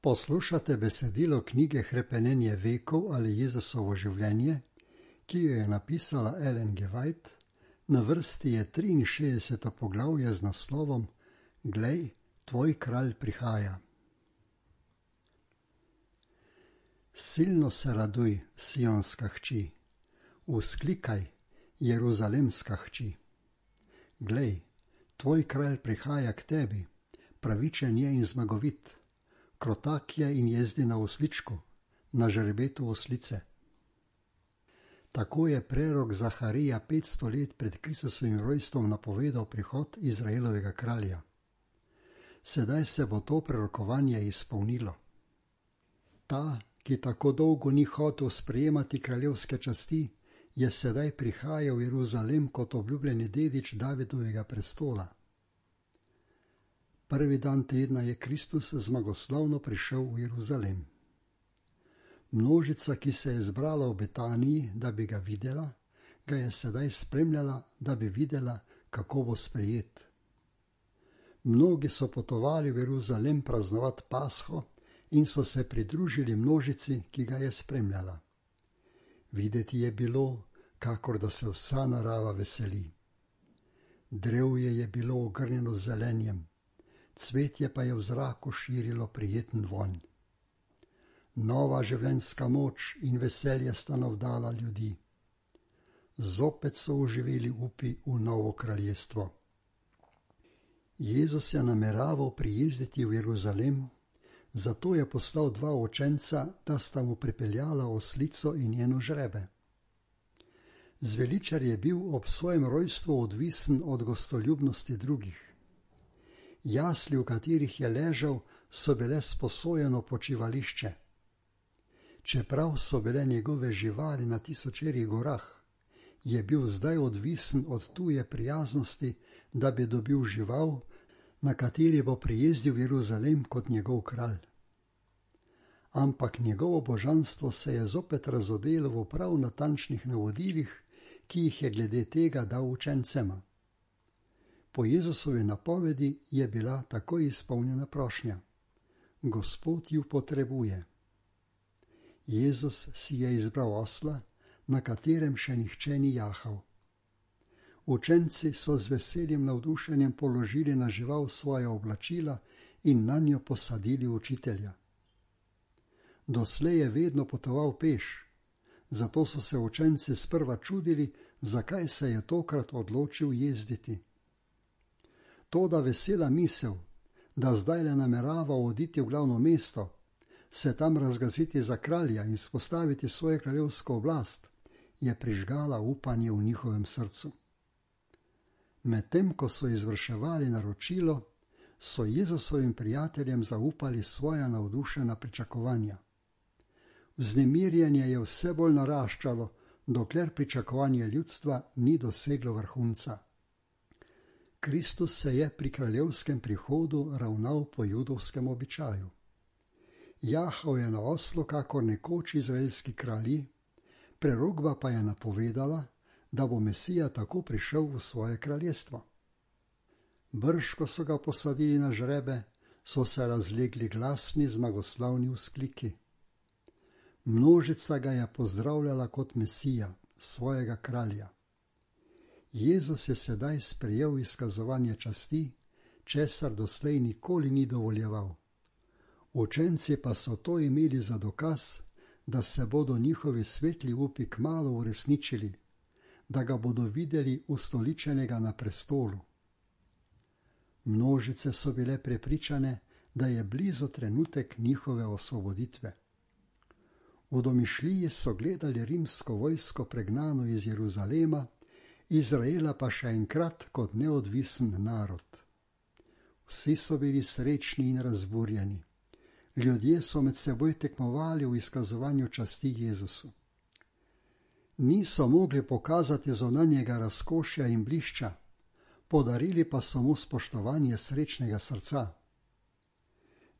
Poslušate besedilo knjige Hrepenenje vekov ali Jezusovo življenje, ki jo je napisala Ellen G. White. Na vrsti je 63. poglavje z naslovom Glej, tvoj kralj prihaja. Silno se raduj, sionska hči, vzklikaj, jeruzalemska hči. Glej, tvoj kralj prihaja k tebi, pravičen je in zmagovit. Krotak je in jezdi na osličku, na žrebetu oslice. Tako je prerok Zaharija 500 let pred Kristusovim rojstvom napovedal prihod Izraelovega kralja. Sedaj se bo to prerokovanje izpolnilo. Ta, ki tako dolgo ni hotel sprejemati kraljevske časti, je sedaj prihajal v Jeruzalem kot obljubljeni dedič Davidovega prestola. Prvi dan tedna je Kristus zmagoslavno prišel v Jeruzalem. Množica, ki se je zbrala v Betaniji, da bi ga videla, ga je sedaj spremljala, da bi videla, kako bo sprejet. Mnogi so potovali v Jeruzalem praznovati Pasho in so se pridružili množici, ki ga je spremljala. Videti je bilo, kakor da se vsa narava veseli. Drevje je bilo ogrnjeno z zelenjem, cvetje pa je v zraku širilo prijeten vonj. Nova življenjska moč in veselje sta navdala ljudi. Zopet so oživeli upi v novo kraljestvo. Jezus je nameraval prijezditi v Jeruzalem, zato je poslal dva učenca, da sta mu pripeljala oslico in njeno žrebe. Zveličar je bil ob svojem rojstvu odvisen od gostoljubnosti drugih. Jasli, v katerih je ležal, so bile sposojeno počivališče. Čeprav so bile njegove živali na tisočerih gorah, je bil zdaj odvisen od tuje prijaznosti, da bi dobil žival, na kateri bo prijezdil v Jeruzalem kot njegov kralj. Ampak njegovo božanstvo se je zopet razodelo v prav natančnih navodilih, ki jih je glede tega dal učencema. Po Jezusovi napovedi je bila takoj izpolnjena prošnja. Gospod ju potrebuje. Jezus si je izbral osla, na katerem še nihče ni jahal. Učenci so z veseljem navdušenjem položili na žival svoja oblačila in nanjo posadili učitelja. Doslej je vedno potoval peš, zato so se učenci sprva čudili, zakaj se je tokrat odločil jezditi. Toda vesela misel, da zdaj le namerava oditi v glavno mesto, se tam razglasiti za kralja in spostaviti svojo kraljevsko oblast, je prižgala upanje v njihovem srcu. Medtem ko so izvrševali naročilo, so Jezusovim prijateljem zaupali svoja navdušena pričakovanja. Vznemirjenje je vse bolj naraščalo, dokler pričakovanje ljudstva ni doseglo vrhunca. Kristus se je pri kraljevskem prihodu ravnal po judovskem običaju. Jahal je na oslu kakor nekoč izraelski kralji, prerokba pa je napovedala, da bo Mesija tako prišel v svoje kraljestvo. Brž, ko so ga posadili na žrebe, so se razlegli glasni zmagoslavni vzkliki. Množica ga je pozdravljala kot Mesija, svojega kralja. Jezus je sedaj sprejel izkazovanje časti, česar doslej nikoli ni dovoljeval. Učenci pa so to imeli za dokaz, da se bodo njihovi svetli upi kmalu uresničili, da ga bodo videli ustoličenega na prestolu. Množice so bile prepričane, da je blizu trenutek njihove osvoboditve. V domišljiji so gledali rimsko vojsko pregnano iz Jeruzalema, Izraela pa še enkrat kot neodvisen narod. Vsi so bili srečni in razburjeni. Ljudje so med seboj tekmovali v izkazovanju časti Jezusu. Niso mogli pokazati zunanjega razkošja in blišča, podarili pa so mu spoštovanje srečnega srca.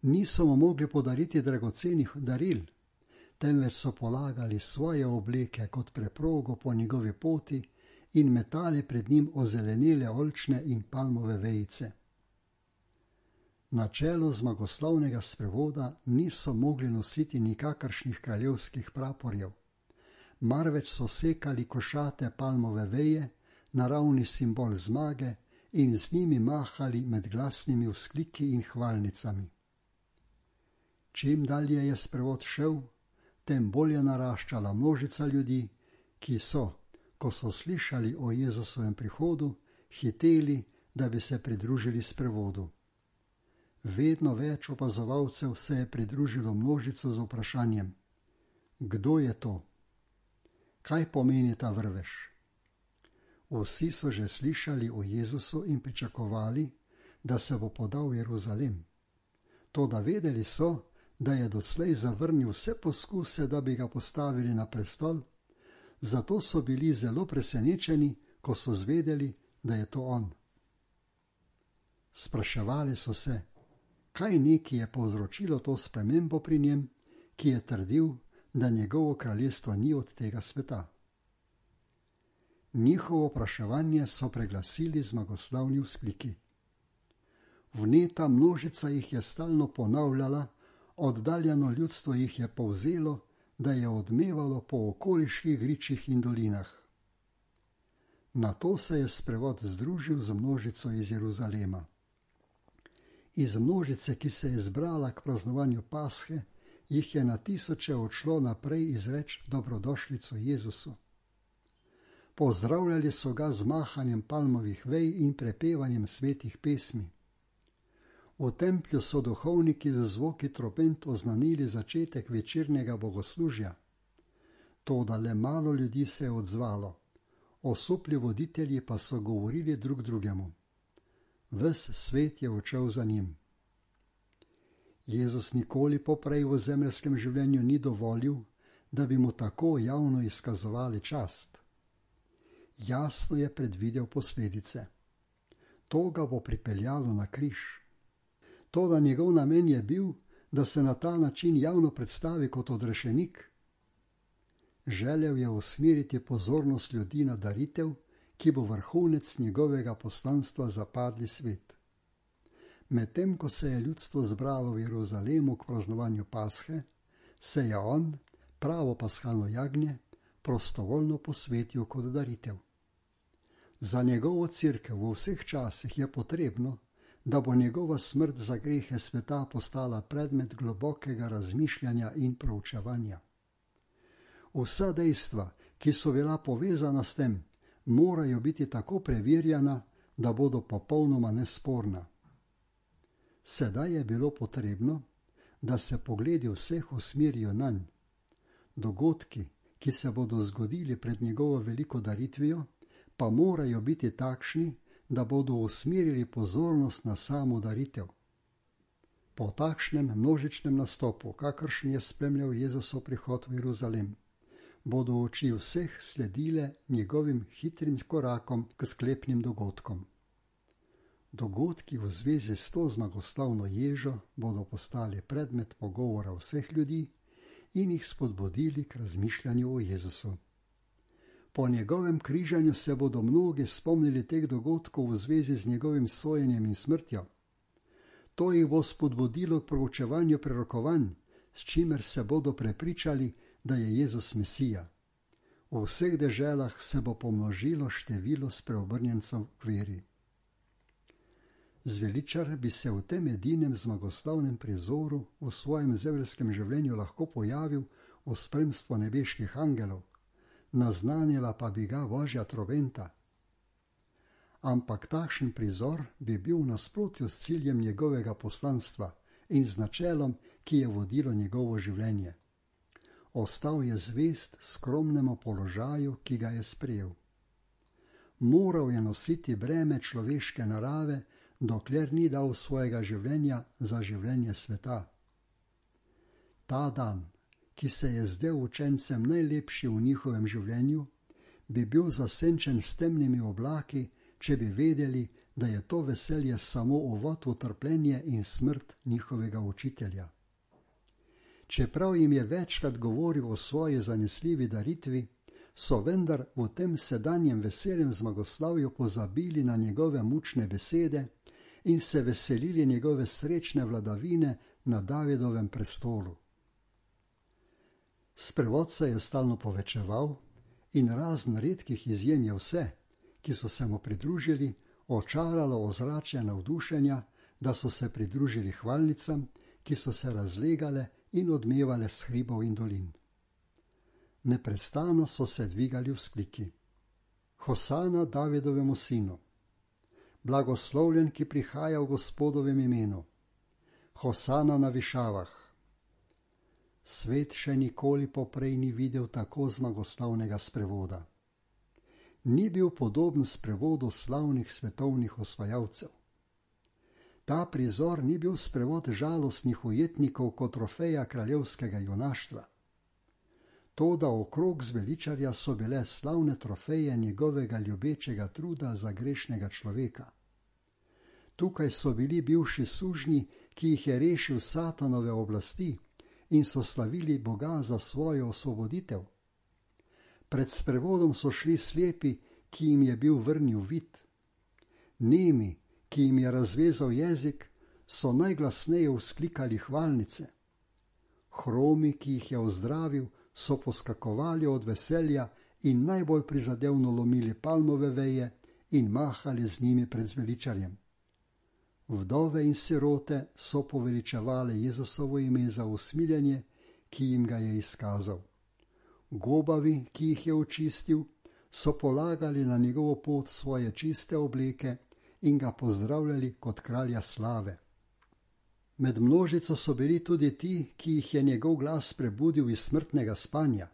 Niso mu mogli podariti dragocenih daril, temveč so polagali svoje obleke kot preprogo po njegovi poti in metali pred njim ozelenele oljčne in palmove vejice. Na čelu zmagoslavnega sprevoda niso mogli nositi nikakršnih kraljevskih praporjev, marveč so sekali košate palmove veje, naravni simbol zmage, in z njimi mahali med glasnimi vzkliki in hvalnicami. Čim dalje je sprevod šel, tem bolj je naraščala množica ljudi, ki so, ko so slišali o Jezusovem prihodu, hiteli, da bi se pridružili sprevodu. Vedno več opazovalcev se je pridružilo množico z vprašanjem: kdo je to? Kaj pomeni ta vrvež? Vsi so že slišali o Jezusu in pričakovali, da se bo podal v Jeruzalem. Toda vedeli so, da je doslej zavrnil vse poskuse, da bi ga postavili na prestol, zato so bili zelo presenečeni, ko so zvedeli, da je to on. Spraševali so se, kaj neki je povzročilo to spremembo pri njem, ki je trdil, da njegovo kraljestvo ni od tega sveta. Njihovo vpraševanje so preglasili zmagoslavni vzkliki. Vneta množica jih je stalno ponavljala, oddaljeno ljudstvo jih je povzelo, da je odmevalo po okoliških gričih in dolinah. Nato se je sprevod združil z množico iz Jeruzalema. Iz množice, ki se je zbrala k praznovanju Pashe, jih je na tisoče odšlo naprej izreč dobrodošlico Jezusu. Pozdravljali so ga z mahanjem palmovih vej in prepevanjem svetih pesmi. V templju so duhovniki z zvoki trobent oznanili začetek večernega bogoslužja. Toda le malo ljudi se je odzvalo, osupli voditelji pa so govorili drug drugemu. Ves svet je odšel za njim. Jezus nikoli poprej v zemeljskem življenju ni dovolil, da bi mu tako javno izkazovali čast. Jasno je predvidel posledice. To ga bo pripeljalo na križ. Toda njegov namen je bil, da se na ta način javno predstavi kot odrešenik. Želel je usmeriti pozornost ljudi na daritev, ki bo vrhunec njegovega poslanstva za padli svet. Medtem ko se je ljudstvo zbralo v Jeruzalemu k praznovanju Pashe, se je on, pravo pashalno jagnje, prostovoljno posvetil kot daritev. Za njegovo cerkev v vseh časih je potrebno, da bo njegova smrt za grehe sveta postala predmet globokega razmišljanja in proučevanja. Vsa dejstva, ki so bila povezana s tem, morajo biti tako preverjana, da bodo popolnoma nesporna. Sedaj je bilo potrebno, da se pogledi vseh usmerijo nanj. Dogodki, ki se bodo zgodili pred njegovo veliko daritvijo, pa morajo biti takšni, da bodo usmerili pozornost na samo daritev. Po takšnem množičnem nastopu, kakršen je spremljal Jezusov prihod v Jeruzalem, bodo oči vseh sledile njegovim hitrim korakom k sklepnim dogodkom. Dogodki v zvezi s to zmagoslavno ježo bodo postali predmet pogovora vseh ljudi in jih spodbudili k razmišljanju o Jezusu. Po njegovem križanju se bodo mnogi spomnili teh dogodkov v zvezi z njegovim sojenjem in smrtjo. To jih bo spodbudilo k proučevanju prerokovanj, s čimer se bodo prepričali, da je Jezus Mesija. V vseh deželah se bo pomnožilo število spreobrnjencev k veri. Zveličar bi se v tem edinem zmagoslavnem prizoru v svojem zemeljskem življenju lahko pojavil v spremstvu nebeških angelov, naznanila pa bi ga Božja trobenta. Ampak takšen prizor bi bil v nasprotju s ciljem njegovega poslanstva in z načelom, ki je vodilo njegovo življenje. Ostal je zvest skromnemu položaju, ki ga je sprejel. Moral je nositi breme človeške narave, dokler ni dal svojega življenja za življenje sveta. Ta dan, ki se je zdel učencem najlepši v njihovem življenju, bi bil zasenčen s temnimi oblaki, če bi vedeli, da je to veselje samo uvod v trpljenje in smrt njihovega učitelja. Čeprav jim je večkrat govoril o svoji zanesljivi daritvi, so vendar v tem sedanjem veseljem zmagoslavju pozabili na njegove mučne besede in se veselili njegove srečne vladavine na Davidovem prestolu. Sprevod se je stalno povečeval in razen redkih izjem je vse, ki so se mu pridružili, očaralo ozračje navdušenja, da so se pridružili hvalnicam, ki so se razlegale in odmevale s hribov in dolin. Neprestano so se dvigali vzkliki: Hosana Davidovemu sinu, blagoslovljen, ki prihaja v Gospodovem imenu, Hosana na višavah. Svet še nikoli poprej ni videl tako zmagoslavnega sprevoda. Ni bil podoben sprevodu slavnih svetovnih osvajalcev. Ta prizor ni bil sprevod žalostnih ujetnikov kot trofeja kraljevskega junaštva. Toda okrog zveličarja so bile slavne trofeje njegovega ljubečega truda za grešnega človeka. Tukaj so bili bivši sužnji, ki jih je rešil Satanove oblasti in so slavili Boga za svojo osvoboditev. Pred sprevodom so šli slepi, ki jim je bil vrnil vid. Nemi, ki jim je razvezal jezik, so najglasneje vzklikali hvalnice. Hromi, ki jih je ozdravil, so poskakovali od veselja in najbolj prizadevno lomili palmove veje in mahali z njimi pred zveličarjem. Vdove in sirote so poveličevale Jezusovo ime za usmiljenje, ki jim ga je izkazal. Gobavi, ki jih je očistil, so polagali na njegovo pot svoje čiste obleke in ga pozdravljali kot kralja slave. Med množico so bili tudi ti, ki jih je njegov glas prebudil iz smrtnega spanja.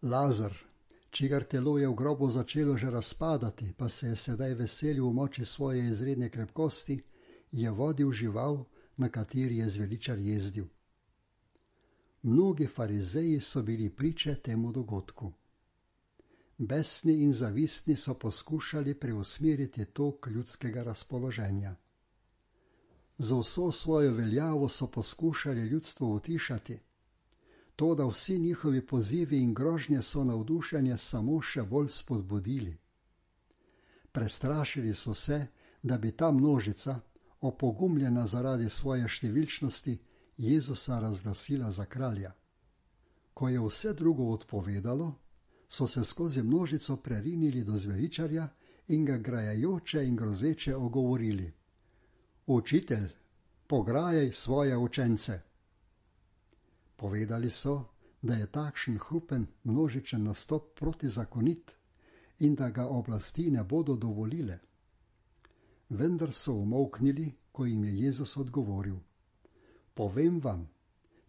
Lazar, čigar telo je v grobu začelo že razpadati, pa se je sedaj veselil v moči svoje izredne krepkosti, je vodil žival, na kateri je zveličar jezdil. Mnogi farizeji so bili priče temu dogodku. Besni in zavistni so poskušali preusmeriti tok ljudskega razpoloženja. Z vso svojo veljavo so poskušali ljudstvo utišati, toda vsi njihovi pozivi in grožnje so navdušenje samo še bolj spodbudili. Prestrašili so se, da bi ta množica, opogumljena zaradi svoje številčnosti, Jezusa razglasila za kralja. Ko je vse drugo odpovedalo, so se skozi množico prerinili do zveličarja in ga grajajoče in grozeče ogovorili: Učitelj, pograjaj svoje učence. Povedali so, da je takšen hrupen množičen nastop protizakonit in da ga oblasti ne bodo dovolile. Vendar so umolknili, ko jim je Jezus odgovoril: Povem vam,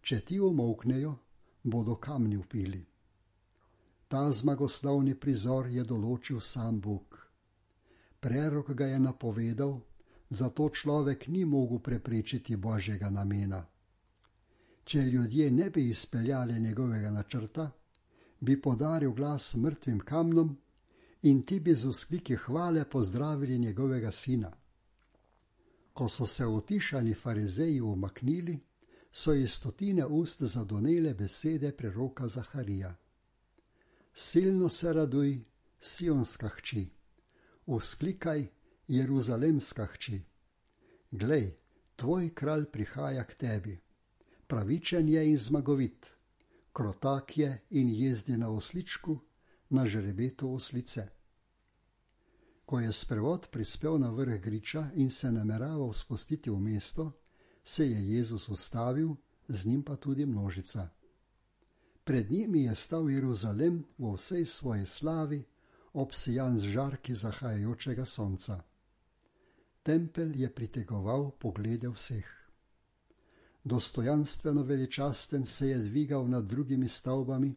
če ti umolknejo, bodo kamni vpili. Ta zmagoslavni prizor je določil sam Bog. Prerok ga je napovedal, zato človek ni mogel preprečiti Božjega namena. Če ljudje ne bi izpeljali njegovega načrta, bi podaril glas mrtvim kamnom in ti bi z vzkliki hvale pozdravili njegovega sina. Ko so se utišani farizeji umaknili, so iz stotine ust zadonele besede preroka Zaharija. Silno se raduj, Sionska hči, vzklikaj, Jeruzalemska hči. Glej, tvoj kralj prihaja k tebi, pravičen je in zmagovit, krotak je in jezdi na osličku, na žrebetu oslice. Ko je sprevod prispel na vrh griča in se nameraval spustiti v mesto, se je Jezus ustavil, z njim pa tudi množica. Pred njimi je stal Jeruzalem v vsej svoji slavi, obsijan z žarki zahajajočega sonca. Tempelj je pritegoval poglede vseh. Dostojanstveno veličasten se je dvigal nad drugimi stavbami,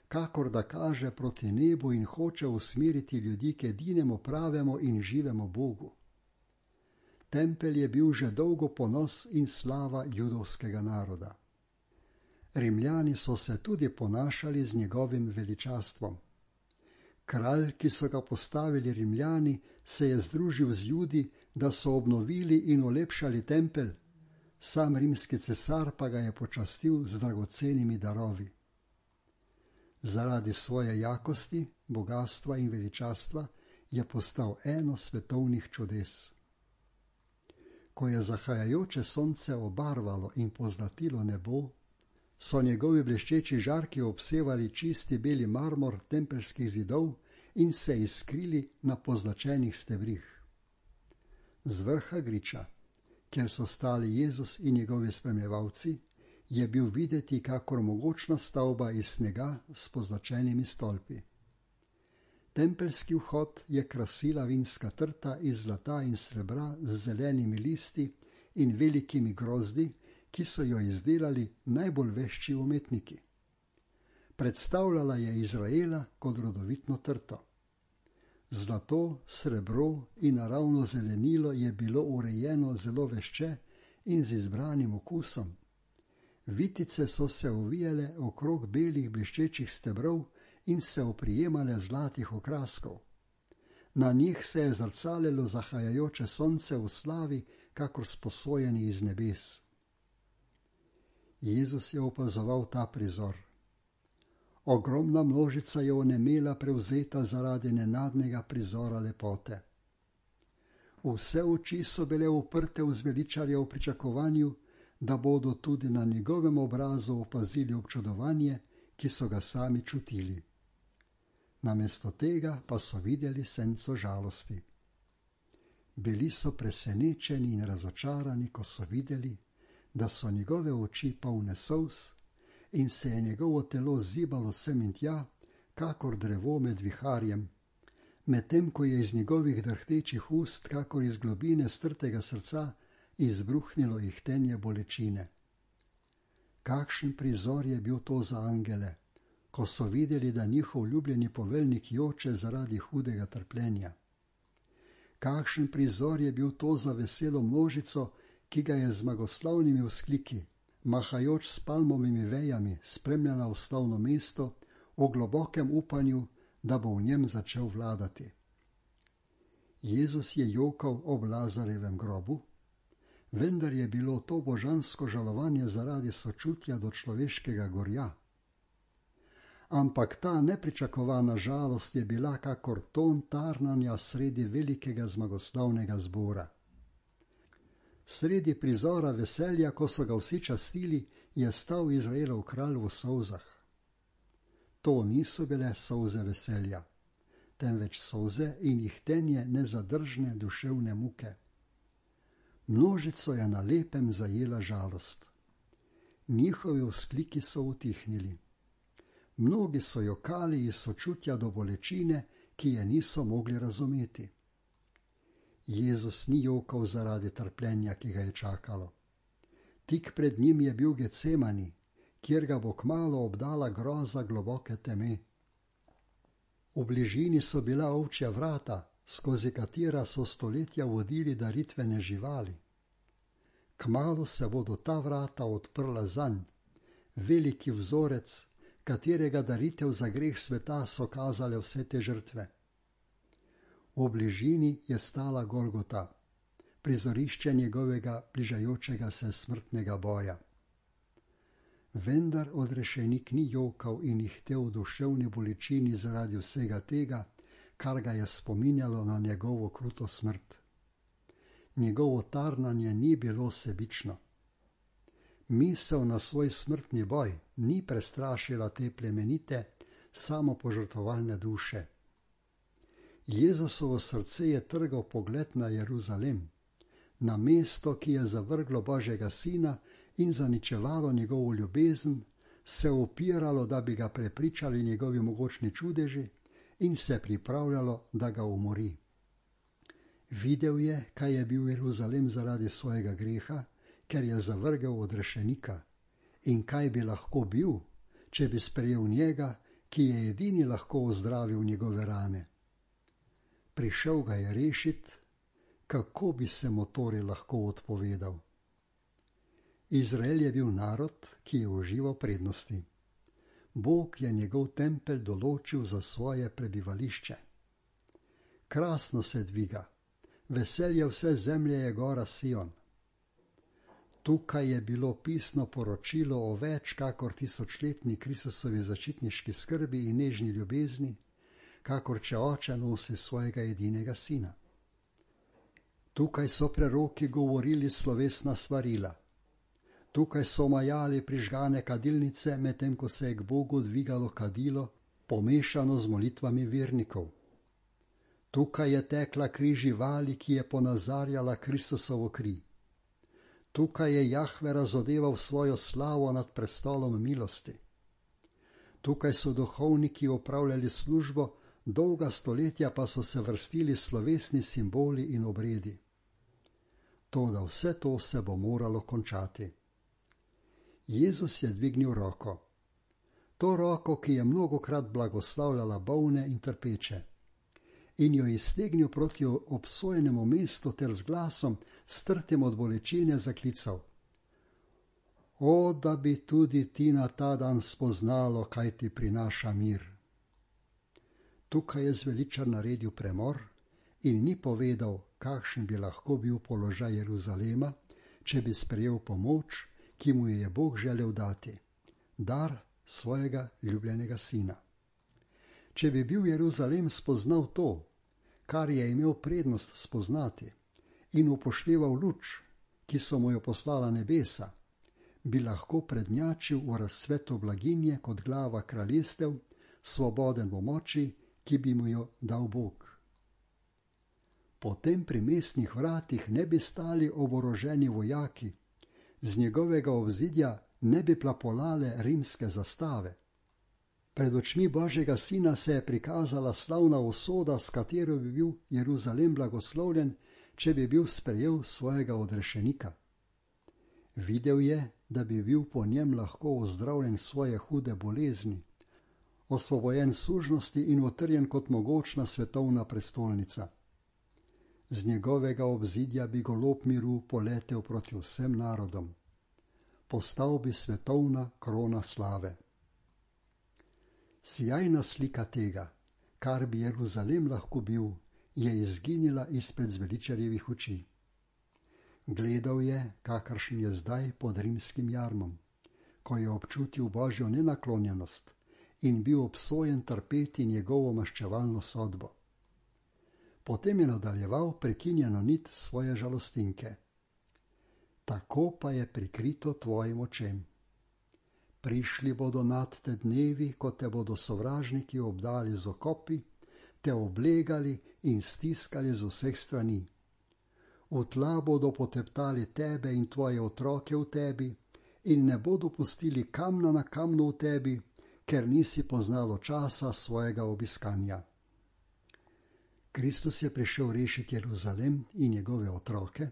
kakor da kaže proti nebu in hoče usmeriti ljudi k edinemu pravemu in živemu Bogu. Tempelj je bil že dolgo ponos in slava judovskega naroda. Rimljani so se tudi ponašali z njegovim veličastvom. Kralj, ki so ga postavili Rimljani, se je združil z Judi, da so obnovili in olepšali tempelj, sam rimski cesar pa ga je počastil z dragocenimi darovi. Zaradi svoje jakosti, bogastva in veličastva je postal eno svetovnih čudes. Ko je zahajajoče sonce obarvalo in pozlatilo nebo, so njegovi bleščeči žarki obsevali čisti beli marmor tempeljskih zidov in se iskrili na pozlačenih stebrih. Z vrha griča, kjer so stali Jezus in njegovi spremljevalci, je bil videti kakor mogočna stavba iz snega s pozlačenimi stolpi. Tempeljski vhod je krasila vinska trta iz zlata in srebra z zelenimi listi in velikimi grozdi, ki so jo izdelali najbolj vešči umetniki. Predstavljala je Izraela kot rodovitno trto. Zlato, srebro in naravno zelenilo je bilo urejeno zelo vešče in z izbranim okusom. Vitice so se ovijale okrog belih bleščečih stebrov in se oprijemale zlatih okraskov. Na njih se je zrcalilo zahajajoče sonce v slavi, kakor sposojeni iz nebes. Jezus je opazoval ta prizor. Ogromna množica je onemela prevzeta zaradi nenadnega prizora lepote. Vse oči so bile uprte v zveličarja v pričakovanju, da bodo tudi na njegovem obrazu opazili občudovanje, ki so ga sami čutili. Namesto tega pa so videli senco žalosti. Bili so presenečeni in razočarani, ko so videli, da so njegove oči polne solz in se je njegovo telo zibalo sem in tja, kakor drevo med viharjem, medtem ko je iz njegovih drhtečih ust, kakor iz globine strtega srca, izbruhnilo ihtenje bolečine. Kakšen prizor je bil to za angele, ko so videli, da njihov ljubljeni poveljnik joče zaradi hudega trpljenja. Kakšen prizor je bil to za veselo množico, ki ga je z zmagoslavnimi vzkliki, mahajoč s palmovimi vejami, spremljala v slavno mesto v globokem upanju, da bo v njem začel vladati. Jezus je jokal ob Lazarjevem grobu, vendar je bilo to božansko žalovanje zaradi sočutja do človeškega gorja. Ampak ta nepričakovana žalost je bila kakor ton tarnanja sredi velikega zmagoslavnega zbora. Sredi prizora veselja, ko so ga vsi častili, je stal Izraelov kralj v solzah. To niso bile solze veselja, temveč solze in ihtenje nezadržne duševne muke. Množico je na lepem zajela žalost. Njihovi vzkliki so utihnili. Mnogi so jokali iz sočutja do bolečine, ki je niso mogli razumeti. Jezus ni jokal zaradi trpljenja, ki ga je čakalo. Tik pred njim je bil Getsemani, kjer ga bo kmalu obdala groza globoke teme. V bližini so bila ovčja vrata, skozi katera so stoletja vodili daritvene živali. Kmalu se bodo ta vrata odprla zanj, veliki vzorec, katerega daritev za greh sveta so kazale vse te žrtve. V bližini je stala Golgota, prizorišče njegovega bližajočega se smrtnega boja. Vendar odrešenik ni jokal in ihtel v duševni bolečini zaradi vsega tega, kar ga je spominjalo na njegovo kruto smrt. Njegovo tarnanje ni bilo sebično. Misel na svoj smrtni boj ni prestrašila te plemenite, samopožrtovalne duše. Jezusovo srce je trgal pogled na Jeruzalem, na mesto, ki je zavrglo Božjega sina in zaničevalo njegovo ljubezen, se upiralo, da bi ga prepričali njegovi mogočni čudeži in se pripravljalo, da ga umori. Videl je, kaj je bil Jeruzalem zaradi svojega greha, ker je zavrgel odrešenika, in kaj bi lahko bil, če bi sprejel njega, ki je edini lahko ozdravil njegove rane. Prišel ga je rešit, kako bi se mu torej lahko odpovedal. Izrael je bil narod, ki je užival prednosti. Bog je njegov tempelj določil za svoje prebivališče. Krasno se dviga, veselje vse zemlje je gora Sion. Tukaj je bilo pisno poročilo o več kakor tisočletni Kristusovi zaščitniški skrbi in nežni ljubezni, kakor če oče nosi svojega edinega sina. Tukaj so preroki govorili slovesna svarila. Tukaj so majali prižgane kadilnice, medtem ko se je k Bogu dvigalo kadilo, pomešano z molitvami vernikov. Tukaj je tekla kri živali, ki je ponazarjala Kristusovo kri. Tukaj je Jahve razodeval svojo slavo nad prestolom milosti. Tukaj so duhovniki opravljali službo, dolga stoletja pa so se vrstili slovesni simboli in obredi. Toda vse to se bo moralo končati. Jezus je dvignil roko. To roko, ki je mnogokrat blagoslavljala bolne in trpeče, in jo iztegnil proti obsojenemu mestu ter z glasom, strtim od bolečine, zaklical: O, da bi tudi ti na ta dan spoznalo, kaj ti prinaša mir. Tukaj je zveličar naredil premor in ni povedal, kakšen bi lahko bil položaj Jeruzalema, če bi sprejel pomoč, ki mu je Bog želel dati, dar svojega ljubljenega sina. Če bi bil Jeruzalem spoznal to, kar je imel prednost spoznati, in upošteval luč, ki so mu jo poslala nebesa, bi lahko prednjačil v razcvetu blaginje kot glava kraljestev, svoboden v moči, ki bi mu jo dal Bog. Potem pri mestnih vratih ne bi stali oboroženi vojaki, z njegovega obzidja ne bi plapolale rimske zastave. Pred očmi Božjega sina se je prikazala slavna usoda, s katero bi bil Jeruzalem blagoslovljen, če bi bil sprejel svojega odrešenika. Videl je, da bi bil po njem lahko ozdravljen svoje hude bolezni, osvobojen sužnosti in utrjen kot mogočna svetovna prestolnica. Z njegovega obzidja bi golob miru poletel proti vsem narodom. Postal bi svetovna krona slave. Sijajna slika tega, kar bi Jeruzalem lahko bil, je izginila izpred zveličarjevih oči. Gledal je, kakršen je zdaj pod rimskim jarmom, ko je občutil Božjo nenaklonjenost in bil obsojen trpeti njegovo maščevalno sodbo. Potem je nadaljeval prekinjeno nit svoje žalostinke. Tako pa je prikrito tvojim očem. Prišli bodo nad te dnevi, ko te bodo sovražniki obdali z okopi, te oblegali in stiskali z vseh strani. V tla bodo poteptali tebe in tvoje otroke v tebi in ne bodo pustili kamna na kamnu v tebi, ker nisi poznalo časa svojega obiskanja. Kristus je prišel rešiti Jeruzalem in njegove otroke,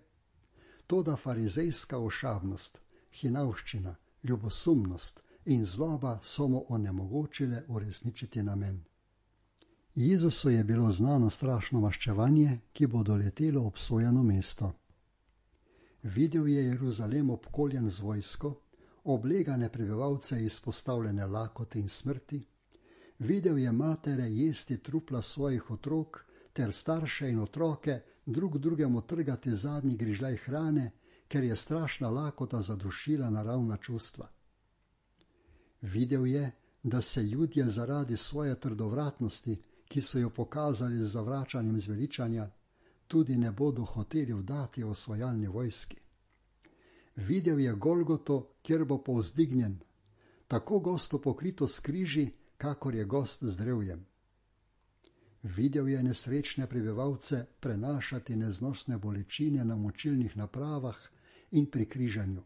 toda farizejska ošabnost, hinavščina, ljubosumnost in zloba so mu onemogočile uresničiti namen. Jezusu je bilo znano strašno maščevanje, ki bo doletelo obsojeno mesto. Videl je Jeruzalem obkoljen z vojsko, oblegane prebivalce izpostavljene lakoti in smrti, videl je matere jesti trupla svojih otrok ter starše in otroke drug drugemu trgati zadnji grižljaj hrane, ker je strašna lakota zadušila naravna čustva. Videl je, da se Judje zaradi svoje trdovratnosti, ki so jo pokazali z zavračanjem zveličanja, tudi ne bodo hoteli vdati osvajalni vojski. Videl je Golgoto, kjer bo povzdignjen, tako gosto pokrito s križi, kakor je gost z drevjem. Videl je nesrečne prebivalce prenašati neznosne bolečine na močilnih napravah in pri križanju.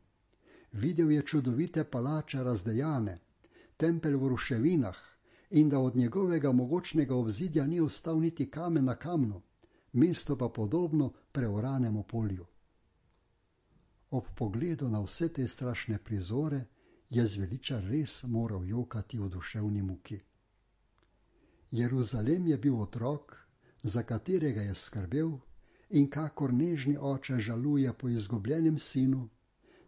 Videl je čudovite palače razdejane, tempelj v ruševinah in da od njegovega mogočnega obzidja ni ostal niti kamen na kamnu, mesto pa podobno preoranemu polju. Ob pogledu na vse te strašne prizore je zveličar res moral jokati v duševni muki. Jeruzalem je bil otrok, za katerega je skrbel, in kakor nežni oče žaluje po izgubljenem sinu,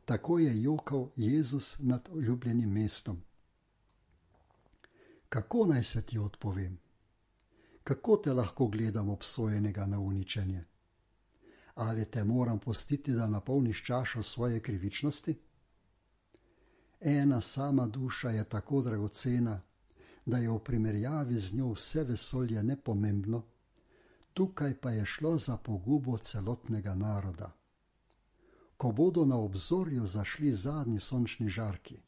tako je jokal Jezus nad ljubljenim mestom. Kako naj se ti odpovem? Kako te lahko gledam obsojenega na uničenje? Ali te moram pustiti, da napolniš čašo svoje krivičnosti? Ena sama duša je tako dragocena, da je v primerjavi z njo vse vesolje nepomembno, Tukaj pa je šlo za pogubo celotnega naroda. Ko bodo na obzorju zašli zadnji sončni žarki,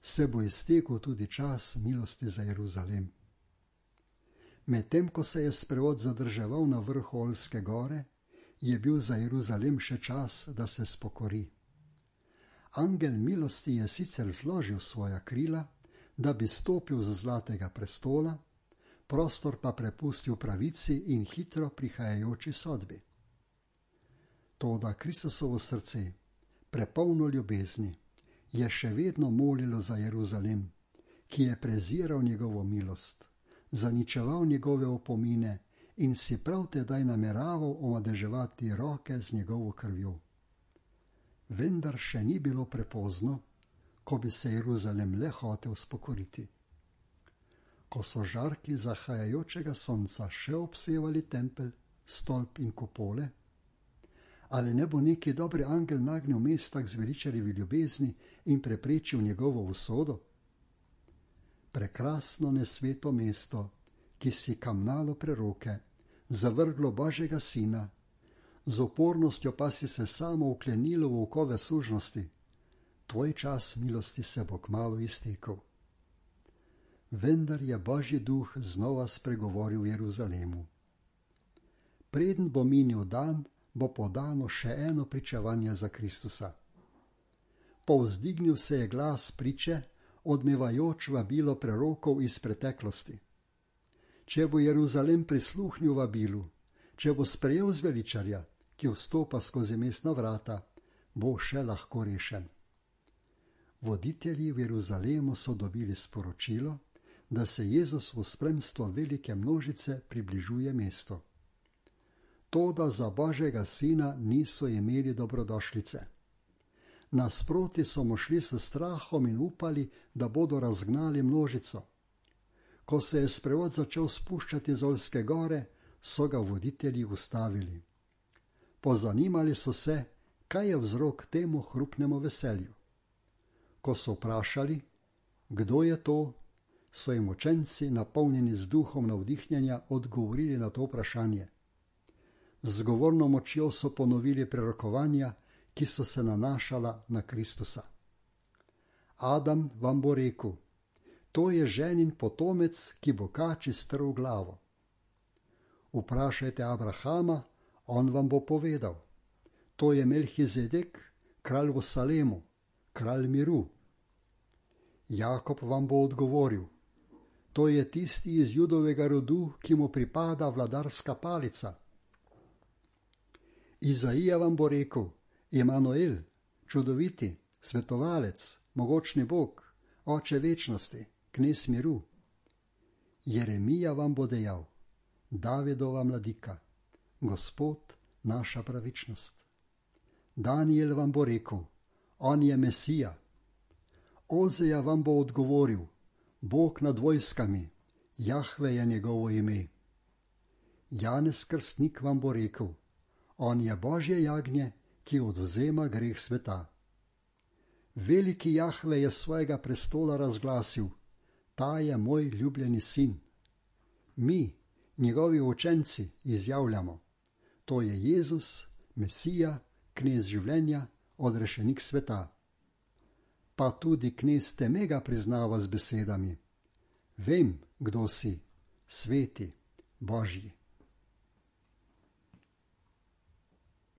se bo iztekel tudi čas milosti za Jeruzalem. Medtem ko se je sprevod zadrževal na vrhu Olske gore, je bil za Jeruzalem še čas, da se spokori. Angel milosti je sicer zložil svoja krila, da bi stopil z zlatega prestola, prostor pa prepustil pravici in hitro prihajajoči sodbi. Toda Kristusovo srce, prepolno ljubezni, je še vedno molilo za Jeruzalem, ki je preziral njegovo milost, zaničeval njegove opomine in si prav tedaj nameraval omadeževati roke z njegovo krvjo. Vendar še ni bilo prepozno, ko bi se Jeruzalem le hotel spokoriti. Ko so žarki zahajajočega sonca še obsevali tempelj, stolp in kupole, ali ne bo neki dobri angel nagnil mesta k zveličarjevi ljubezni in preprečil njegovo usodo? Prekrasno nesveto mesto, ki si kamnalo preroke, zavrglo Božjega sina, z opornostjo pa si se samo uklenilo v okove sužnosti, tvoj čas milosti se bo kmalu iztekel. Vendar je Božji duh znova spregovoril v Jeruzalemu. Preden bo minil dan, bo podano še eno pričevanje za Kristusa. Povzdignil se je glas priče, odmevajoč vabilo prerokov iz preteklosti. Če bo Jeruzalem prisluhnil vabilu, če bo sprejel zveličarja, ki vstopa skozi mestna vrata, bo še lahko rešen. Voditelji v Jeruzalemu so dobili sporočilo, da se Jezus v spremstvu velike množice približuje mestu. Toda za Božjega sina niso imeli dobrodošlice. Nasproti so mu šli s strahom in upali, da bodo razgnali množico. Ko se je sprevod začel spuščati z Olske gore, so ga voditelji ustavili. Pozanimali so se, kaj je vzrok temu hrupnemu veselju. Ko so vprašali, kdo je to, so jim učenci, napolnjeni z duhom navdihnjenja, odgovorili na to vprašanje. Z govorno močjo so ponovili prerokovanja, ki so se nanašala na Kristusa. Adam vam bo rekel, to je ženin potomec, ki bo kači strl glavo. Vprašajte Abrahama, on vam bo povedal, to je Melhizedek, kralj v Salemu, kralj miru. Jakob vam bo odgovoril, to je tisti iz Judovega rodu, ki mu pripada vladarska palica. Izaija vam bo rekel, Emanuel, čudoviti, svetovalec, mogočni Bog, oče večnosti, knez miru. Jeremija vam bo dejal, Davidova mladika, Gospod, naša pravičnost. Daniel vam bo rekel, on je Mesija. Ozeja vam bo odgovoril, Bog nad vojskami, Jahve je njegovo ime. Janez Krstnik vam bo rekel, on je Božje jagnje, ki odvzema greh sveta. Veliki Jahve je svojega prestola razglasil, ta je moj ljubljeni sin. Mi, njegovi učenci, izjavljamo, to je Jezus, Mesija, knez življenja, odrešenik sveta. Pa tudi knez teme ga priznava z besedami, vem, kdo si, sveti, Božji.